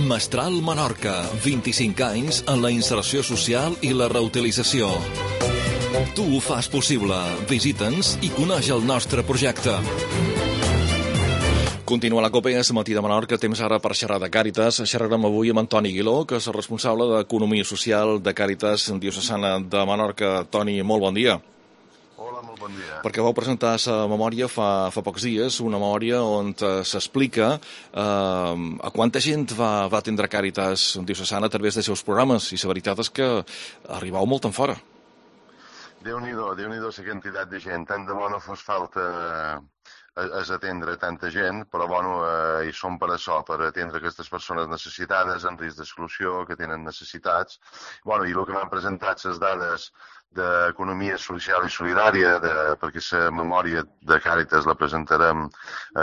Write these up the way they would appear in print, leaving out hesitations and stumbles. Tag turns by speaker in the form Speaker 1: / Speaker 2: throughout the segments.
Speaker 1: Mestral Menorca, 25 anys en la inserció social i la reutilització. Tu ho fas possible. Visita'ns i coneix el nostre projecte. Continua la COPE, és Matí de Menorca, temps ara per xerrar de Càritas. Xerrarem avui amb Toni Aguiló, que és el responsable d'Economia Social de Càritas Diocesana de Menorca. Toni, molt bon dia.
Speaker 2: Hola, molt bon dia.
Speaker 1: Perquè vau presentar la memòria fa pocs dies, una memòria on s'explica a quanta gent va atendre Càritas Diocesana a través dels seus programes, i la veritat és que arribau molt en fora.
Speaker 2: Déu-n'hi-do la quantitat de gent. Tant de bo no fos falta és atendre tanta gent, però hi som per això, per atendre aquestes persones necessitades, en risc d'exclusió, que tenen necessitats. I el que m'han presentat les dades d'Economia Social i Solidària, perquè la memòria de Càritas la presentarem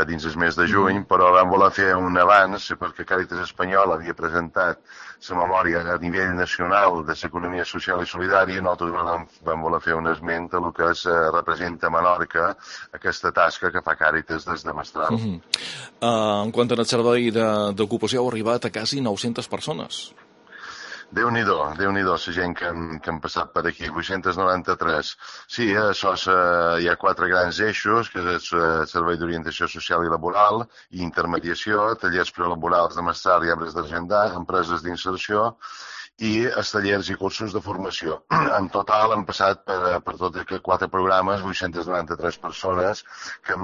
Speaker 2: dins el mes de juny, però vam voler fer un avanç, perquè Càritas Espanyol havia presentat la memòria a nivell nacional de l'Economia Social i Solidària, i nosaltres vam voler fer un esment a el que representa a Menorca aquesta tasca que fa Càritas des de Mestral.
Speaker 1: En quant al servei d'ocupació, heu arribat a quasi 900 persones.
Speaker 2: Déu-n'hi-do la gent que han passat per aquí, 893. Sí, hi ha 4 grans eixos, que és el Servei d'Orientació Social i Laboral i Intermediació, tallers prelaborals de Mestral i Arbres d'Argendar, empreses d'inserció i els tallers i cursos de formació. En total han passat per tots aquests 4 programes 893 persones que,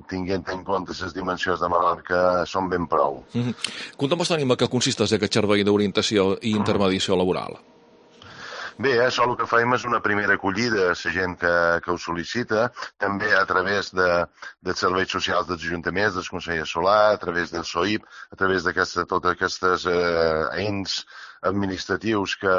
Speaker 2: tinguent en compte les dimensions de Menorca, són ben prou.
Speaker 1: Conta'm, Toni, en què consisteix aquest servei d'orientació i intermediació laboral?
Speaker 2: Bé, això el que fem és una primera acollida a la gent que ho sol·licita, també a través dels serveis socials dels ajuntaments, del Consell Escolar, a través del SOIP, a través de tots aquests ens administratius que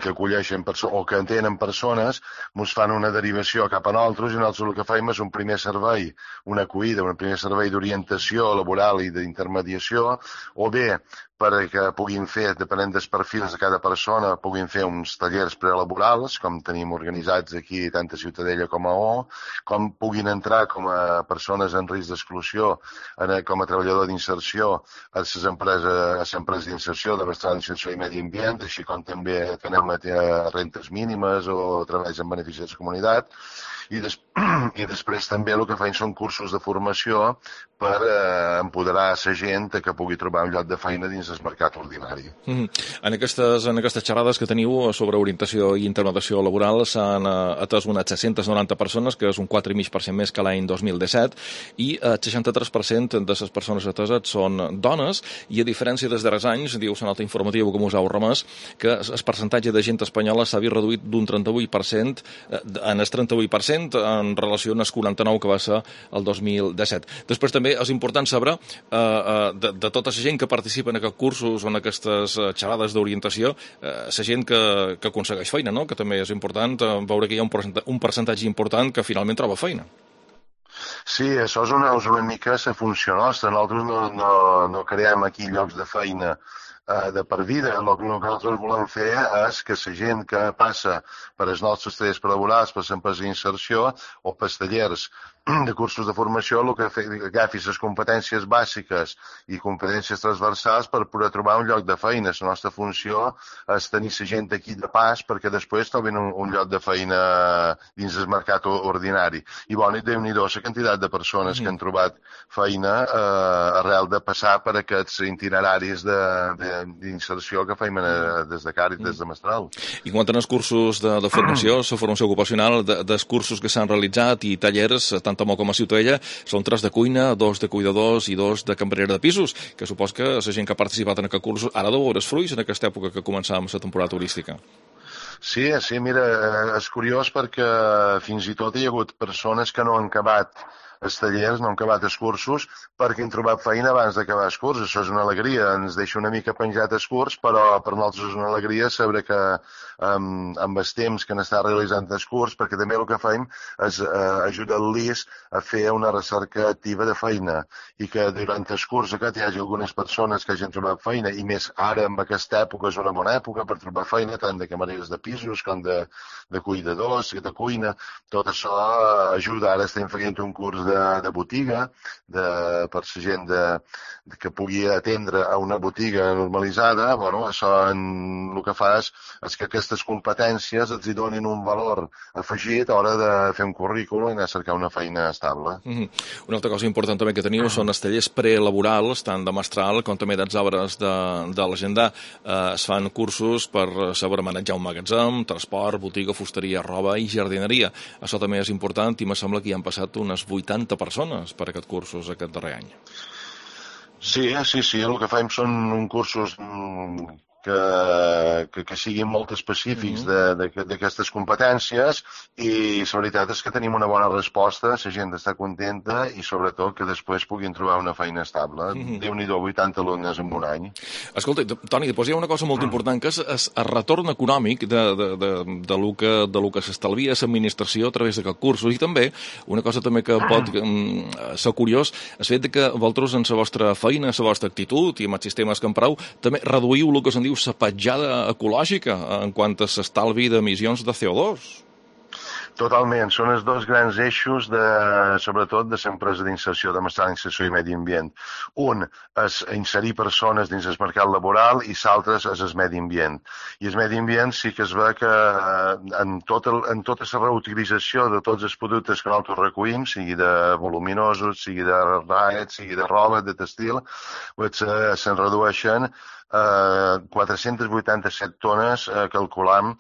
Speaker 2: acolleixen o que entenen persones, ens fan una derivació cap a nosaltres, i nosaltres el que fem és un primer servei, una acollida, un primer servei d'orientació laboral i d'intermediació, o bé perquè puguin fer, depenent dels perfils de cada persona, puguin fer uns tallers prelaborals, com tenim organitzats aquí tant a Ciutadella com a com puguin entrar com a persones en risc d'exclusió, com a treballador d'inserció a les empreses d'inserció de Mestral Inserció i Medi Ambient, així com també tenem rentes mínimes o treballs en benefici de la comunitat. I després també el que fan són cursos de formació per empoderar la gent que pugui trobar un lloc de feina dins el mercat ordinari.
Speaker 1: En aquestes xerrades que teniu sobre orientació i intermediació laboral s'han atès unes 790 persones, que és un 4,5% més que l'any 2017, i el 63% de les persones ateses són dones, i a diferència dels darrers anys, diu la nota informativa que us heu remès, que el percentatge de gent espanyola s'ha vist reduït d'un 38% en el 38% en relació amb el 49% que va ser el 2017. Després també és important saber de tota la gent que participa en aquests cursos o en aquestes xerrades d'orientació, la gent que aconsegueix feina, no? Que també és important veure que hi ha un percentatge important que finalment troba feina.
Speaker 2: Sí, això és una mica la funció nostra. Nosaltres no creem aquí llocs de feina de per vida. El que nosaltres volem fer és que la gent que passa per els nostres tallers prelaborals, per les empreses d'inserció o per els tallers de cursos de formació, el que agafi les competències bàsiques i competències transversals per poder trobar un lloc de feina. La nostra funció és tenir la gent aquí de pas perquè després trobin un lloc de feina dins el mercat ordinari. I Déu-n'hi-do la quantitat de persones que han trobat feina arrel de passar per aquests itineraris d'inserció que fem des de Càritas, des de Mestral.
Speaker 1: I quant als cursos de formació, la formació ocupacional, dels cursos que s'han realitzat i tallers, tant a Mo com a Ciutadella, són 3 de cuina, 2 de cuidadors i 2 de cambrera de pisos, que supos que la gent que ha participat en aquest curs ara deu veure els fruits en aquesta època que començàvem la temporada turística.
Speaker 2: Sí, mira, és curiós perquè fins i tot hi ha hagut persones que no han acabat els tallers, no han acabat els cursos, perquè han trobat feina abans d'acabar els cursos. Això és una alegria, ens deixa una mica penjat els curs, però per nosaltres és una alegria saber que amb els temps que n'està realitzant els curs, perquè també el que fem és ajudar-los a fer una recerca activa de feina, i que durant el curs aquest hi hagi algunes persones que hagin trobat feina, i més ara, en aquesta època, és una bona època per trobar feina, tant de camareres de pisos com de cuidadors, de cuina. Tot això ajuda. Ara estem fent un curs de botiga, per la gent que pugui atendre a una botiga normalitzada, bueno, això el que fa és que aquestes competències els hi donin un valor afegit a l'hora de fer un currículum i anar a cercar una feina estable.
Speaker 1: Una altra cosa important també que teniu són els tallers prelaborals, tant de mestral com també dels obres de l'agenda. Es fan cursos per saber manejar un magatzem, transport, botiga, fusteria, roba i jardineria. Això també és important i me sembla que hi han passat unes 80 persones per aquests cursos aquest darrer any.
Speaker 2: Sí, el que fem són cursos que siguin molt específics d'aquestes competències i la veritat és que tenim una bona resposta, la gent està contenta i sobretot que després puguin trobar una feina estable. Déu-n'hi-do, 80 alumnes en un any.
Speaker 1: Escolta, Toni, després hi ha una cosa molt important que és el retorn econòmic de lo que s'estalvia a l'administració a través d'aquests cursos i també una cosa també que pot ser curiós és el fet que vosaltres en la vostra feina, la vostra actitud i amb els sistemes que empreu també reduïu el que se'n diu la petjada ecològica en quant a l'estalvi d'emissions de CO2.
Speaker 2: Totalment, són els dos grans eixos, sobretot de l'empresa d'inserció, de mestral d'inserció i medi ambient. Un és inserir persones dins el mercat laboral i l'altre és el medi ambient. I el medi ambient sí que es ve que en tota la reutilització de tots els productes que nosaltres recollim, sigui de voluminosos, sigui de raet, sigui de roba, de textil, se'n redueixen 487 tones, calculam,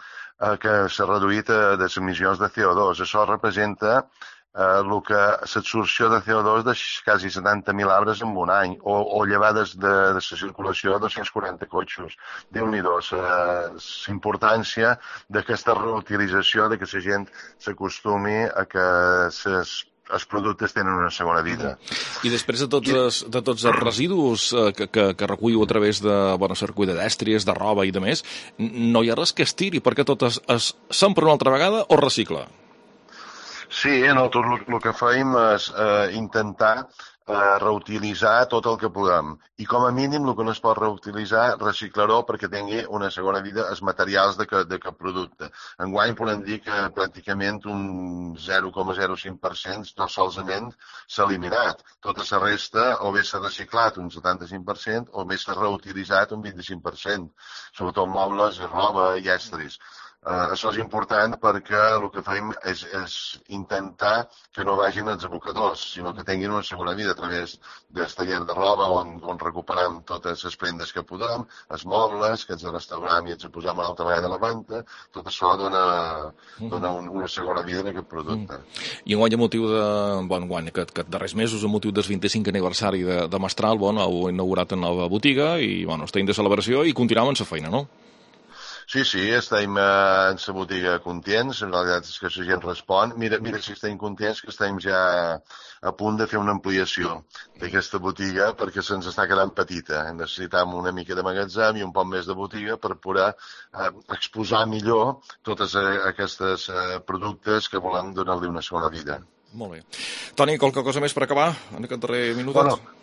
Speaker 2: que s'ha reduït de les emissions de CO2. Això representa l'absorció de CO2 de quasi 70.000 arbres en un any, o llevades de la circulació de 240 cotxes. Déu-n'hi-do, la importància d'aquesta reutilització, de que la gent s'acostumi a que els productes tenen una segona vida.
Speaker 1: I després de tots els residus que recullo a través de circuit de dèstries, de roba i de més, no hi ha res que es tiri, perquè tot s'empra una altra vegada o recicla?
Speaker 2: Sí, nosaltres el que fem és intentar reutilitzar tot el que puguem. I com a mínim el que no es pot reutilitzar, reciclar-ho perquè tingui una segona vida els materials d'aquest producte. Enguany podem dir que pràcticament un 0,05% tot solament s'ha eliminat. Tota la resta o bé s'ha reciclat un 75% o bé s'ha reutilitzat un 25%, sobretot mobles, roba i estris. Això és important perquè el que fem és intentar que no vagin als abocadors, sinó que tinguin una segona vida a través del taller de roba on recuperem totes les prendes que podem, els mobles, que ens restaurem i ens posem a l'altra vegada a la venda, tot això dona una segona vida en aquest producte.
Speaker 1: I enguany, a motiu aquest darrers mesos, a motiu del 25 aniversari de Mestral, heu inaugurat una nova botiga i estem de celebració i continuem amb la feina, no?
Speaker 2: Sí, estem en la botiga contents, en realitat és que la gent respon. Mira si estem contents que estem ja a punt de fer una ampliació d'aquesta botiga perquè se'ns està quedant petita. Necessitam una mica de magatzem i un poc més de botiga per poder exposar millor tots aquests productes que volem donar-li una segona vida.
Speaker 1: Molt bé. Toni, qualque cosa més per acabar en aquest darrer minutet?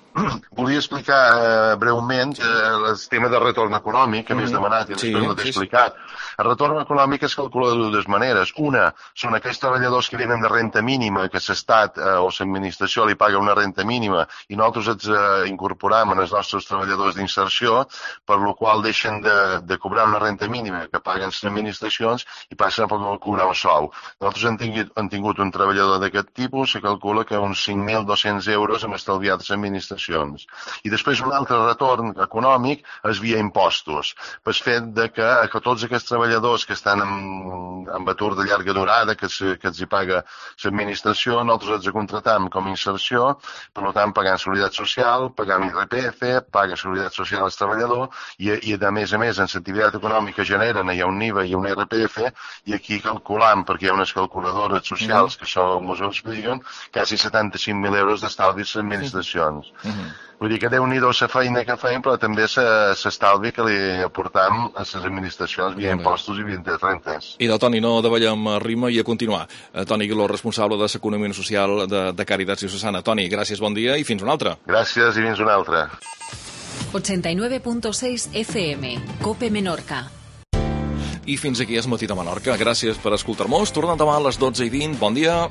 Speaker 2: Volia explicar breument el tema de retorn econòmic que m'has demanat i després no t'he explicat. El retorn econòmic es calcula de dues maneres. Una són aquells treballadors que venen de renta mínima, que l'Estat o l'administració li paga una renta mínima i nosaltres ens incorporam en els nostres treballadors d'inserció, per la qual deixen de cobrar una renta mínima que paguen les administracions i passen a cobrar un sou. Nosaltres hem tingut un treballador d'aquest tipus, se calcula que uns 5.200 euros hem estalviat les administracions. I després un altre retorn econòmic és via impostos, pel fet que tots aquests treballadors que estan en atur de llarga durada, que els hi paga l'administració, nosaltres els contratam com a inserció, per tant pagant seguretat social, pagant IRPF, paga seguretat social al treballador i a més, en l'activitat econòmica generen, hi ha un IVA i un IRPF, i aquí calculam, perquè hi ha unes calculadores socials que això ens ho expliquen, quasi 75.000 euros d'estalvi a les administracions. Vull dir que Déu-n'hi-do la feina que feim, però també s'estalvi que li aportam a les administracions via impostos i via rentes.
Speaker 1: I del Toni, no davallem rima i a continuar. Toni Guiló, responsable de l'Economia Social de Càritas Diocesana. Toni, gràcies, bon dia i fins una altra.
Speaker 2: Gràcies i fins una altra.
Speaker 3: 89.6 FM, COPE Menorca.
Speaker 1: I fins aquí és Matí de Menorca. Gràcies per escoltar-nos. Tornem demà a les 12:20. Bon dia.